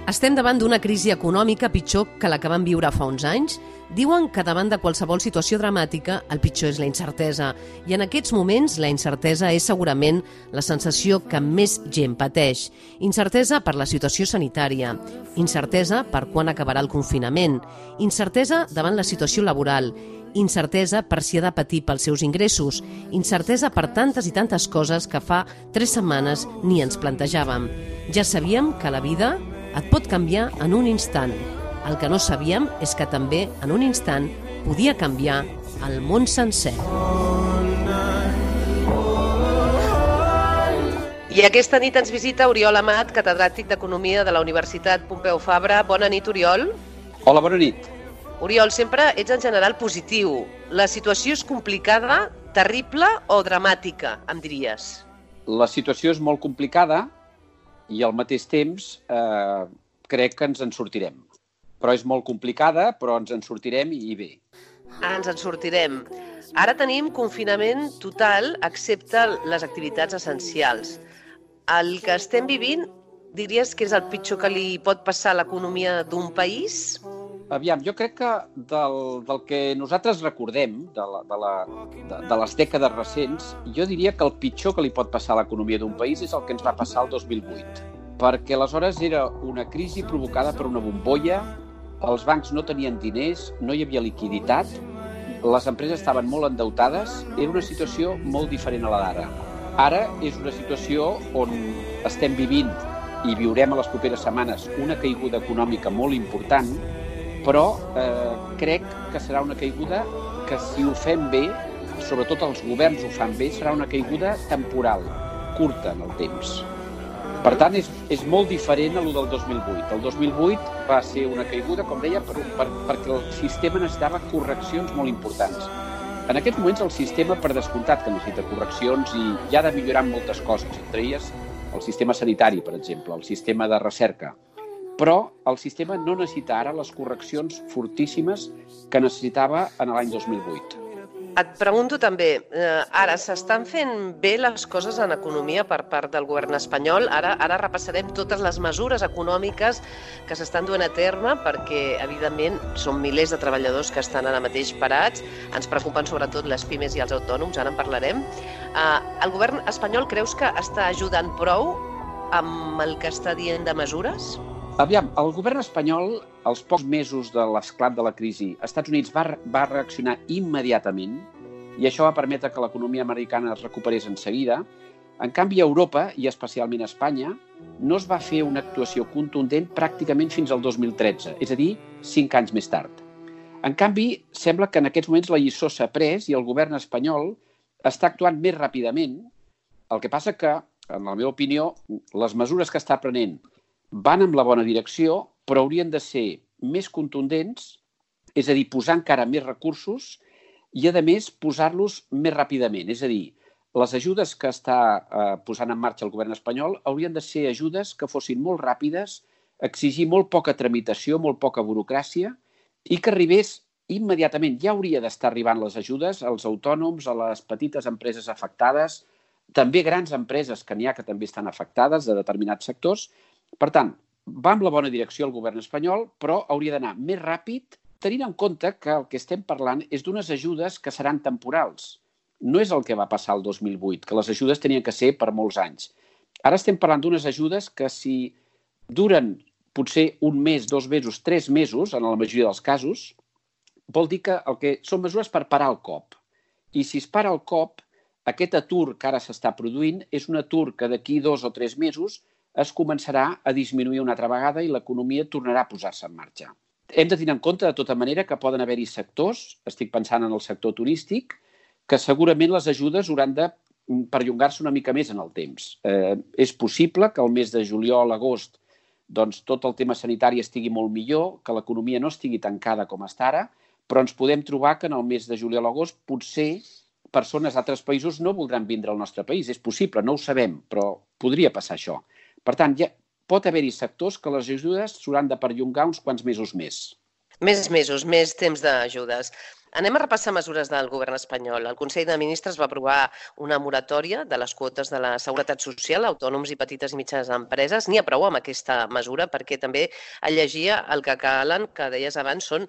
Estem davant d'una crisi econòmica pitjor que la que vam viure fa uns anys. Diuen que davant de qualsevol situació dramàtica el pitjor és la incertesa. I en aquests moments la incertesa és segurament la sensació que més gent pateix. Incertesa per la situació sanitària, incertesa per quan acabarà el confinament, incertesa davant la situació laboral, incertesa per si ha de patir pels seus ingressos, incertesa per tantes i tantes coses que fa 3 setmanes ni ens plantejàvem. Ja sabíem que la vida et pot canviar en un instant. El que no sabíem és que també en un instant podia canviar el món sencer. I aquesta nit ens visita Oriol Amat, catedràtic d'Economia de la Universitat Pompeu Fabra. Bona nit, Oriol. Hola, bona nit. Oriol, sempre ets en general positiu. La situació és complicada, terrible o dramàtica, em diries? La situació és molt complicada i al mateix temps crec que ens en sortirem. Però és molt complicada, però ens en sortirem i bé. Ens en sortirem. Ara tenim confinament total, excepte les activitats essencials. El que estem vivint, diries que és el pitjor que li pot passar a l'economia d'un país? Aviam, jo crec que del que nosaltres recordem, de les dècades recents, jo diria que el pitjor que li pot passar a l'economia d'un país és el que ens va passar el 2008. Perquè aleshores era una crisi provocada per una bombolla, els bancs no tenien diners, no hi havia liquiditat, les empreses estaven molt endeutades, era una situació molt diferent a la d'ara. Ara és una situació on estem vivint i viurem a les properes setmanes una caiguda econòmica molt important, però crec que serà una caiguda que, si ho fem bé, sobretot els governs ho fan bé, serà una caiguda temporal, curta en el temps. Per tant, és molt diferent a lo del 2008. El 2008 va ser una caiguda, com deia, perquè el sistema necessitava correccions molt importants. En aquests moments el sistema, per descomptat, que necessita correccions i ja ha de millorar moltes coses, entre elles el sistema sanitari, per exemple, el sistema de recerca. Però el sistema no necessita ara les correccions fortíssimes que necessitava en l'any 2008. Et pregunto també, ara s'estan fent bé les coses en economia per part del govern espanyol? Ara repassarem totes les mesures econòmiques que s'estan duent a terme perquè, evidentment, són milers de treballadors que estan ara mateix parats. Ens preocupen sobretot les pimes i els autònoms, ara en parlarem. El govern espanyol creus que està ajudant prou amb el que està dient de mesures? Aviam, el govern espanyol, als pocs mesos de l'esclat de la crisi, als Estats Units va reaccionar immediatament i això va permetre que l'economia americana es recuperés en seguida. En canvi, a Europa, i especialment a Espanya, no es va fer una actuació contundent pràcticament fins al 2013, és a dir, 5 anys més tard. En canvi, sembla que en aquests moments la lliçó s'ha pres i el govern espanyol està actuant més ràpidament. El que passa que, en la meva opinió, les mesures que està prenent van en la bona direcció, però haurien de ser més contundents, és a dir, posar encara més recursos i, a més, posar-los més ràpidament. És a dir, les ajudes que està posant en marxa el govern espanyol haurien de ser ajudes que fossin molt ràpides, exigir molt poca tramitació, molt poca burocràcia i que arribés immediatament. Ja hauria d'estar arribant les ajudes als autònoms, a les petites empreses afectades, també grans empreses que n'hi ha que també estan afectades de determinats sectors. Per tant, va en la bona direcció el govern espanyol, però hauria d'anar més ràpid, tenint en compte que el que estem parlant és d'unes ajudes que seran temporals. No és el que va passar el 2008, que les ajudes tenien que ser per molts anys. Ara estem parlant d'unes ajudes que, si duren potser 1 mes, 2 mesos, 3 mesos, en la majoria dels casos, vol dir que són mesures per parar el cop. I si es para el cop, aquest atur que ara s'està produint és un atur que d'aquí 2 o 3 mesos es començarà a disminuir una altra vegada i l'economia tornarà a posar-se en marxa. Hem de tenir en compte, de tota manera, que poden haver-hi sectors, estic pensant en el sector turístic, que segurament les ajudes hauran de perllongar-se una mica més en el temps. És possible que el mes de juliol, agost, doncs tot el tema sanitari estigui molt millor, que l'economia no estigui tancada com està ara, però ens podem trobar que en el mes de juliol, agost, potser persones d'altres països no voldran vindre al nostre país. És possible, no ho sabem, però podria passar això. Per tant, pot haver-hi sectors que les ajudes s'hauran de perllongar uns quants mesos més. Més mesos, més temps d'ajudes. Anem a repassar mesures del govern espanyol. El Consell de Ministres va aprovar una moratòria de les quotes de la Seguretat Social a autònoms i petites i mitjanes empreses. N'hi ha prou amb aquesta mesura perquè també el llegia el que calen, que deies abans, són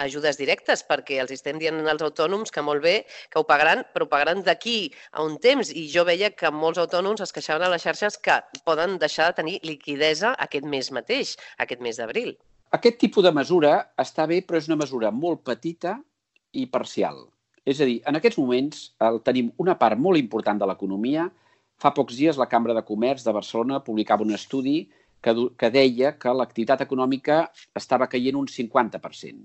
ajudes directes, perquè els estem dient als autònoms que molt bé, que ho pagaran, però ho pagaran d'aquí a un temps. I jo veia que molts autònoms es queixaven a les xarxes que poden deixar de tenir liquidesa aquest mes mateix, aquest mes d'abril. Aquest tipus de mesura està bé, però és una mesura molt petita i parcial. És a dir, en aquests moments tenim una part molt important de l'economia. Fa pocs dies la Cambra de Comerç de Barcelona publicava un estudi que deia que l'activitat econòmica estava caient un 50%.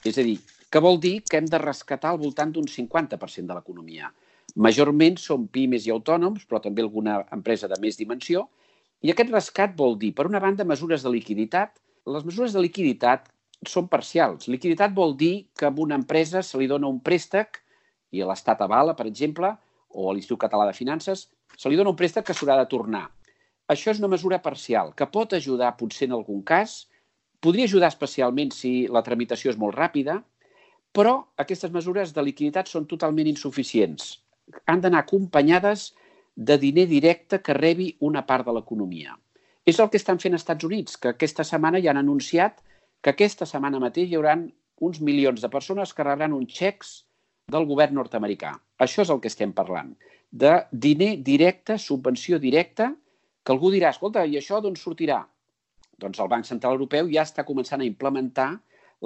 És a dir, que vol dir que hem de rescatar al voltant d'un 50% de l'economia. Majorment són pimes i autònoms, però també alguna empresa de més dimensió. I aquest rescat vol dir, per una banda, mesures de liquiditat. Les mesures de liquiditat són parcials. Liquiditat vol dir que a una empresa se li dona un préstec i l'Estat avala, per exemple, o a l'Institut Català de Finances, se li dona un préstec que s'haurà de tornar. Això és una mesura parcial que pot ajudar potser en algun cas, podria ajudar especialment si la tramitació és molt ràpida, però aquestes mesures de liquiditat són totalment insuficients. Han d'anar acompanyades de diner directe que rebi una part de l'economia. És el que estan fent als Estats Units, que aquesta setmana ja han anunciat que aquesta setmana mateix hi haurà uns milions de persones que rebran uns xecs del govern nord-americà. Això és el que estem parlant, de diner directe, subvenció directa, que algú dirà, escolta, i això d'on sortirà? Doncs el Banc Central Europeu ja està començant a implementar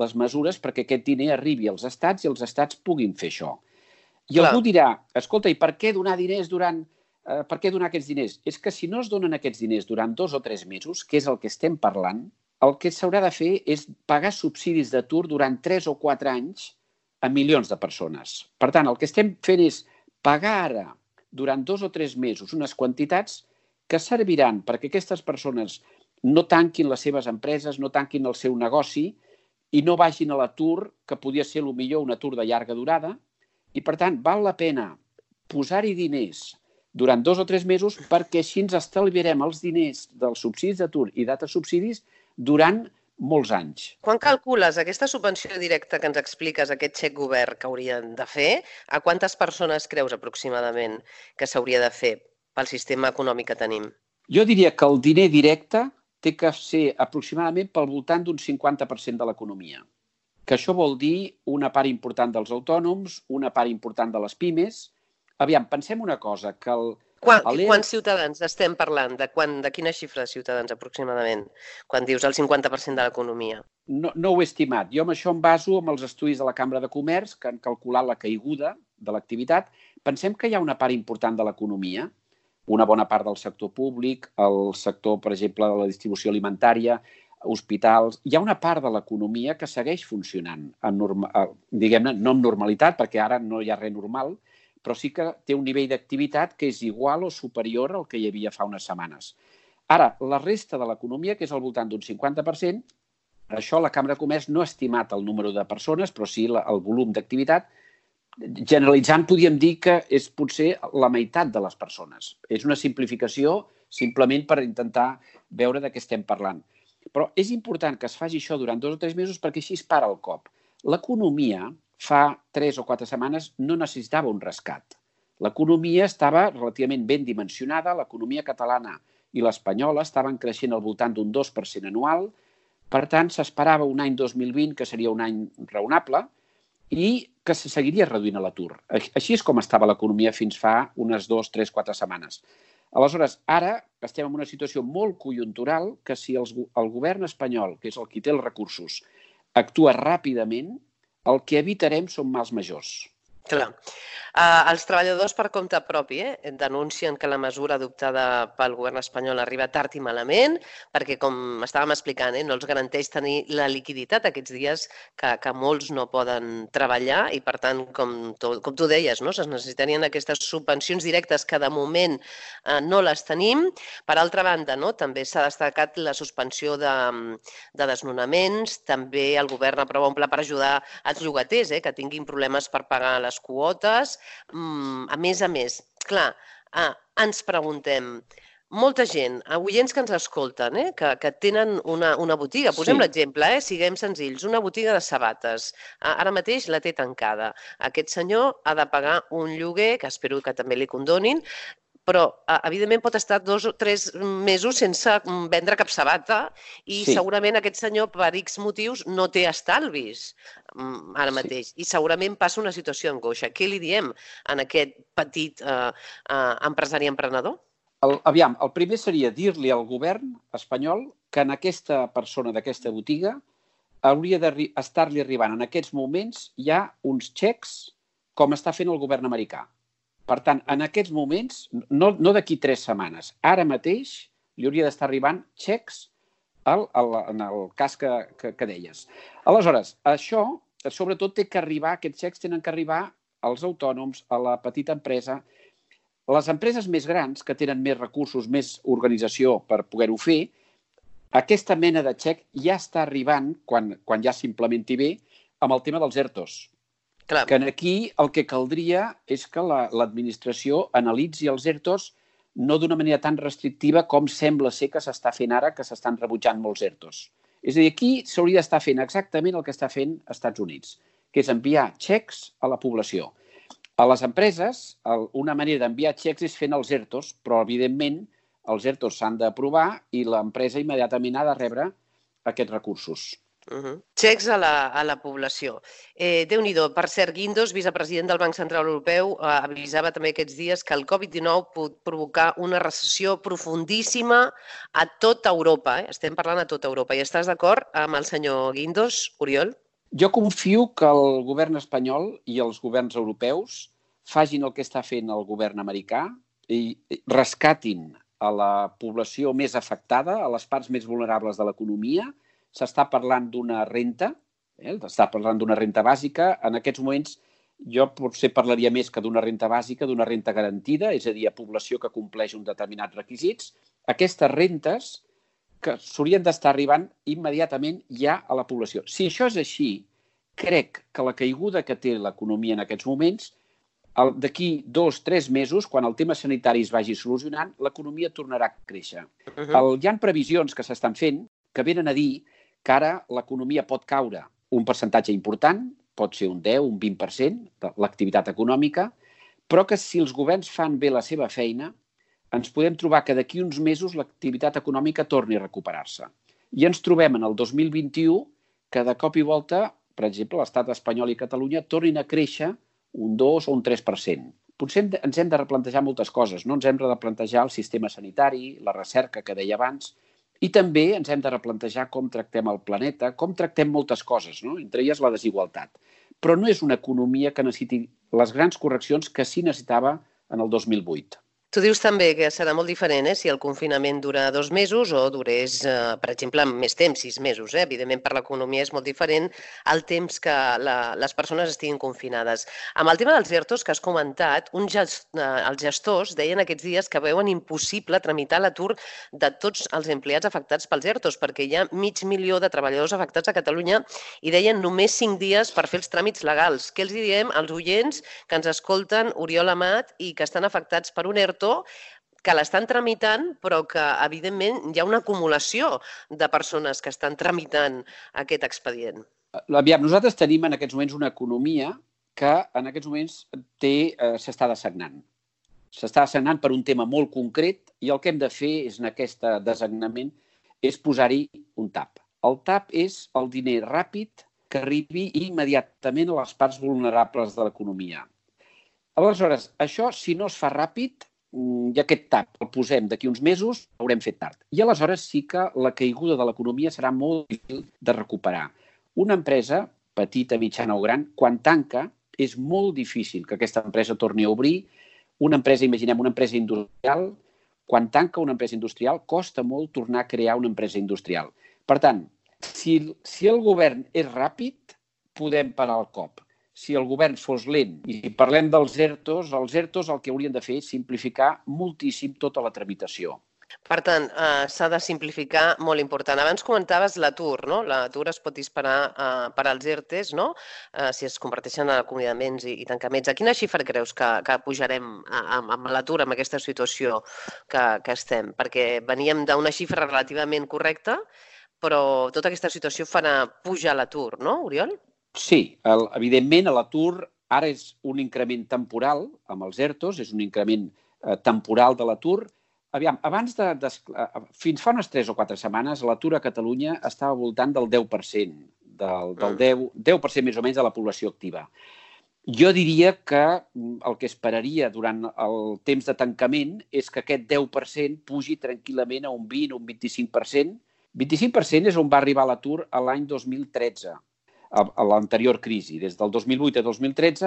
les mesures perquè aquest diner arribi als estats i els estats puguin fer això. I algú dirà, escolta, i per què donar diners per què donar aquests diners? És que si no es donen aquests diners durant 2 o 3 mesos, que és el que estem parlant, el que s'haurà de fer és pagar subsidis d'atur durant 3 o 4 anys a milions de persones. Per tant, el que estem fent és pagar ara, durant 2 o 3 mesos, unes quantitats que serviran perquè aquestes persones no tanquin les seves empreses, no tanquin el seu negoci i no vagin a l'atur, que podia ser potser un atur de llarga durada. I, per tant, val la pena posar-hi diners durant 2 o 3 mesos perquè així ens estalviarem els diners dels subsidis d'atur i d'altres subsidis durant molts anys. Quan calcules aquesta subvenció directa que ens expliques, aquest xec govern que haurien de fer, a quantes persones creus aproximadament que s'hauria de fer pel sistema econòmic que tenim? Jo diria que el diner directe té que ser aproximadament pel voltant d'un 50% de l'economia. Que això vol dir una part important dels autònoms, una part important de les pimes. Aviam, pensem una cosa, que Quants ciutadans estem parlant? De quina xifra de ciutadans aproximadament? Quan dius el 50% de l'economia. No ho he estimat. Jo amb això em baso amb els estudis de la Cambra de Comerç que han calculat la caiguda de l'activitat. Pensem que hi ha una part important de l'economia, una bona part del sector públic, el sector, per exemple, de la distribució alimentària, hospitals. Hi ha una part de l'economia que segueix funcionant, diguem-ne, no amb normalitat, perquè ara no hi ha res normal, però sí que té un nivell d'activitat que és igual o superior al que hi havia fa unes setmanes. Ara, la resta de l'economia, que és al voltant d'un 50%, això la Cambra de Comerç no ha estimat el número de persones, però sí el volum d'activitat. Generalitzant, podríem dir que és potser la meitat de les persones. És una simplificació simplement per intentar veure de què estem parlant. Però és important que es faci això durant 2 o 3 mesos perquè així es para el cop. L'economia fa 3 o 4 setmanes no necessitava un rescat. L'economia estava relativament ben dimensionada, l'economia catalana i l'espanyola estaven creixent al voltant d'un 2% anual, per tant s'esperava un any 2020 que seria un any raonable i que se seguiria reduint l'atur. Així és com estava l'economia fins fa unes 2, 3, 4 setmanes. Aleshores, ara estem en una situació molt conjuntural que si el govern espanyol, que és el qui té els recursos, actua ràpidament, el que evitarem són mals majors. Clar. Els treballadors per compte propi denuncien que la mesura adoptada pel govern espanyol arriba tard i malament, perquè, com estàvem explicant, no els garanteix tenir la liquiditat aquests dies que molts no poden treballar i, per tant, com tu deies, es necessitarien aquestes subvencions directes que de moment no les tenim. Per altra banda, també s'ha destacat la suspensió de desnonaments, també el govern aprova un pla per ajudar els llogaters que tinguin problemes per pagar les quotes. A més, clar, ens preguntem, molta gent, oients que ens escolten, que tenen una botiga. Posem l'exemple, siguem senzills, una botiga de sabates. Ara mateix la té tancada. Aquest senyor ha de pagar un lloguer, que espero que també li condonin, però, evidentment, pot estar 2 o 3 mesos sense vendre cap sabata i segurament aquest senyor, per X motius, no té estalvis ara mateix i segurament passa una situació d'angoixa. Què li diem a aquest petit empresari emprenedor? Aviam, el primer seria dir-li al govern espanyol que en aquesta persona d'aquesta botiga hauria d'estar-li arribant en aquests moments ja uns xecs com està fent el govern americà. Per tant, en aquests moments, no d'aquí 3 setmanes, ara mateix li hauria d'estar arribant xecs en el cas que deies. Aleshores, això, sobretot, aquests xecs tenen que arribar als autònoms, a la petita empresa. Les empreses més grans, que tenen més recursos, més organització per poder-ho fer, aquesta mena de xec ja està arribant, quan ja s'implementi bé, amb el tema dels ERTOs. Clar. Que aquí el que caldria és que l'administració analitzi els ERTOs no d'una manera tan restrictiva com sembla ser que s'està fent ara, que s'estan rebutjant molts ERTOs. És a dir, aquí s'hauria d'estar fent exactament el que està fent als Estats Units, que és enviar xecs a la població. A les empreses, una manera d'enviar xecs és fent els ERTOs, però, evidentment, els ERTOs s'han d'aprovar i l'empresa immediatament ha de rebre aquests recursos. Xecs a la població. Déu-n'hi-do. Per cert, Guindos, vicepresident del Banc Central Europeu, avisava també aquests dies que el Covid-19 pot provocar una recessió profundíssima a tota Europa. Estem parlant a tota Europa. I estàs d'acord amb el senyor Guindos, Oriol? Jo confio que el govern espanyol i els governs europeus facin el que està fent el govern americà i rescatin a la població més afectada, a les parts més vulnerables de l'economia. S'està parlant d'una renta, s'està parlant d'una renta bàsica. En aquests moments jo potser parlaria més que d'una renta bàsica, d'una renta garantida, és a dir, a població que compleix uns determinats requisits. Aquestes rentes que s'haurien d'estar arribant immediatament ja a la població. Si això és així, crec que la caiguda que té l'economia en aquests moments, d'aquí 2 o 3 mesos, quan el tema sanitari es vagi solucionant, l'economia tornarà a créixer. Hi ha previsions que s'estan fent que venen a dir que ara l'economia pot caure un percentatge important, pot ser un 10, un 20% de l'activitat econòmica, però que si els governs fan bé la seva feina, ens podem trobar que d'aquí uns mesos l'activitat econòmica torni a recuperar-se. I ens trobem en el 2021 que de cop i volta, per exemple, l'estat espanyol i Catalunya tornin a créixer un 2 o un 3%. Potser ens hem de replantejar moltes coses, no? Ens hem de replantejar el sistema sanitari, la recerca que deia abans, i també ens hem de replantejar com tractem el planeta, com tractem moltes coses, no? Entre elles la desigualtat. Però no és una economia que necessiti les grans correccions que sí necessitava en el 2008. Tu dius també que serà molt diferent si el confinament dura 2 mesos o durés, per exemple, més temps, 6 mesos. Evidentment, per l'economia és molt diferent el temps que les persones estiguin confinades. Amb el tema dels ERTOs que has comentat, els gestors deien aquests dies que veuen impossible tramitar l'atur de tots els empleats afectats pels ERTOs, perquè hi ha 500.000 de treballadors afectats a Catalunya i deien només 5 dies per fer els tràmits legals. Què els diem als oients que ens escolten, Oriol Amat, i que estan afectats per un ERTO que l'estan tramitant, però que, evidentment, hi ha una acumulació de persones que estan tramitant aquest expedient? Aviam, nosaltres tenim en aquests moments una economia que en aquests moments s'està dessagnant. S'està dessagnant per un tema molt concret i el que hem de fer en aquest dessagnament és posar-hi un tap. El tap és el diner ràpid que arribi immediatament a les parts vulnerables de l'economia. Aleshores, això, si no es fa ràpid, i aquest tap el posem d'aquí uns mesos, haurem fet tard. I aleshores sí que la caiguda de l'economia serà molt difícil de recuperar. Una empresa, petita, mitjana o gran, quan tanca, és molt difícil que aquesta empresa torni a obrir. Una empresa, imaginem, una empresa industrial, quan tanca una empresa industrial, costa molt tornar a crear una empresa industrial. Per tant, si el govern és ràpid, podem parar el cop. Si el govern fos lent, i parlem dels ERTOs, els ERTOs el que haurien de fer és simplificar moltíssim tota la tramitació. Per tant, s'ha de simplificar, molt important. Abans comentaves l'atur, no? L'atur es pot disparar per als ERTEs, no? Si es converteixen en acomiadaments i tancaments. A quina xifra creus que pujarem amb l'atur, amb aquesta situació que estem? Perquè veníem d'una xifra relativament correcta, però tota aquesta situació farà pujar l'atur, no, Oriol? Sí, evidentment l'atur ara és un increment temporal amb els ERTOs, és un increment temporal de l'atur. Aviam, fins fa unes 3 o 4 setmanes l'atur a Catalunya estava al voltant del 10%, del 10% més o menys de la població activa. Jo diria que el que esperaria durant el temps de tancament és que aquest 10% pugi tranquil·lament a un 20 o un 25%. 25% és on va arribar l'atur l'any 2013, a l'anterior crisi. Des del 2008 a 2013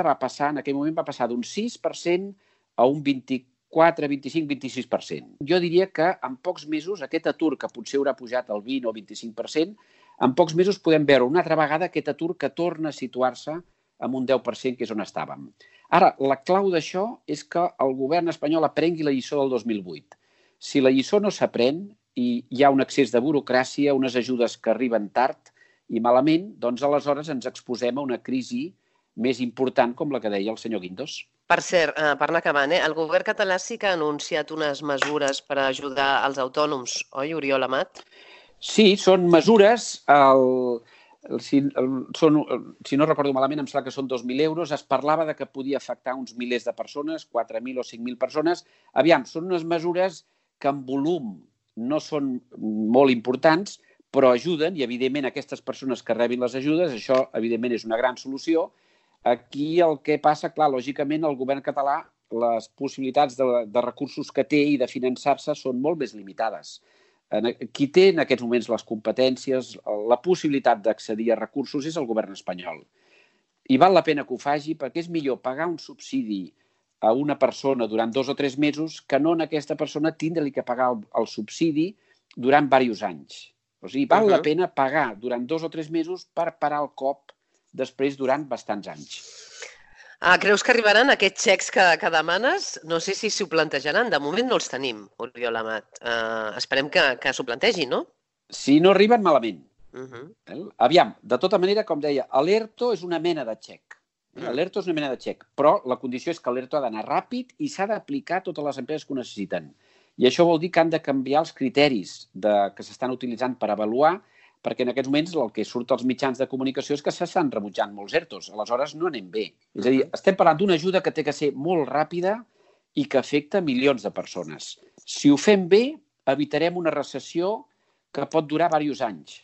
en aquell moment va passar d'un 6% a un 24, 25, 26%. Jo diria que en pocs mesos aquest atur, que potser haurà pujat al 20 o 25%, en pocs mesos podem veure una altra vegada aquest atur que torna a situar-se amb un 10%, que és on estàvem. Ara, la clau d'això és que el govern espanyol aprengui la lliçó del 2008. Si la lliçó no s'aprèn i hi ha un excés de burocràcia, unes ajudes que arriben tard i malament, doncs aleshores ens exposem a una crisi més important, com la que deia el senyor Guindos. Per cert, per anar acabant, el govern català sí que ha anunciat unes mesures per ajudar els autònoms, oi, Oriol Amat? Sí, són mesures, si no recordo malament, em sembla que són 2.000 euros. Es parlava de que podia afectar uns milers de persones, 4.000 o 5.000 persones. Aviam, són unes mesures que en volum no són molt importants, però ajuden, i evidentment aquestes persones que rebin les ajudes, això evidentment és una gran solució. Aquí el que passa, clar, lògicament el govern català, les possibilitats de recursos que té i de finançar-se són molt més limitades. Qui té en aquests moments les competències, la possibilitat d'accedir a recursos és el govern espanyol. I val la pena que ho faci perquè és millor pagar un subsidi a una persona durant 2 o 3 mesos que no en aquesta persona tindre-li que pagar el subsidi durant diversos anys. O sigui, val la pena pagar durant 2 o 3 mesos per parar el cop després durant bastants anys. Creus que arribaran aquests xecs que demanes? No sé si s'ho plantejaran. De moment no els tenim, Oriol Amat. Esperem que s'ho plantegin, no? Si no arriben, malament. Aviam, de tota manera, com deia, l'ERTO és una mena de xec. L'ERTO és una mena de xec, però la condició és que l'ERTO ha d'anar ràpid i s'ha d'aplicar a totes les empreses que ho necessiten. I això vol dir que han de canviar els criteris que s'estan utilitzant per avaluar, perquè en aquests moments el que surt als mitjans de comunicació és que s'estan rebutjant molts ERTOs. Aleshores no anem bé. És a dir, estem parlant d'una ajuda que té que ser molt ràpida i que afecta milions de persones. Si ho fem bé, evitarem una recessió que pot durar diversos anys.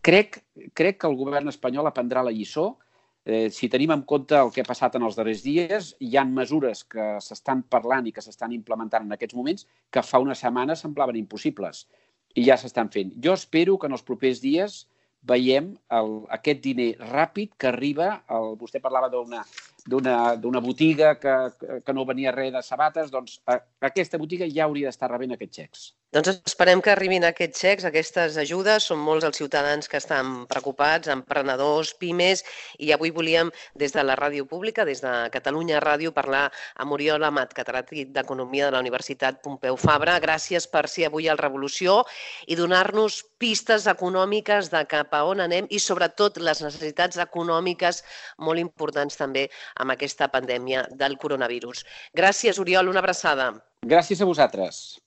Crec que el govern espanyol aprendrà la lliçó. Si tenim en compte el que ha passat en els darrers dies, hi ha mesures que s'estan parlant i que s'estan implementant en aquests moments que fa una setmana semblaven impossibles i ja s'estan fent. Jo espero que en els propers dies veiem aquest diner ràpid que arriba. Vostè parlava d'una botiga que no venia res de sabates, doncs aquesta botiga ja hauria d'estar rebent aquests xecs. Doncs esperem que arribin aquests xecs, aquestes ajudes. Són molts els ciutadans que estan preocupats, emprenedors, pimes, i avui volíem, des de la ràdio pública, des de Catalunya Ràdio, parlar amb Oriol Amat, catedràtic d'Economia de la Universitat Pompeu Fabra. Gràcies per ser avui al Revolució i donar-nos pistes econòmiques de cap a on anem i, sobretot, les necessitats econòmiques molt importants també amb aquesta pandèmia del coronavirus. Gràcies, Oriol, una abraçada. Gràcies a vosaltres.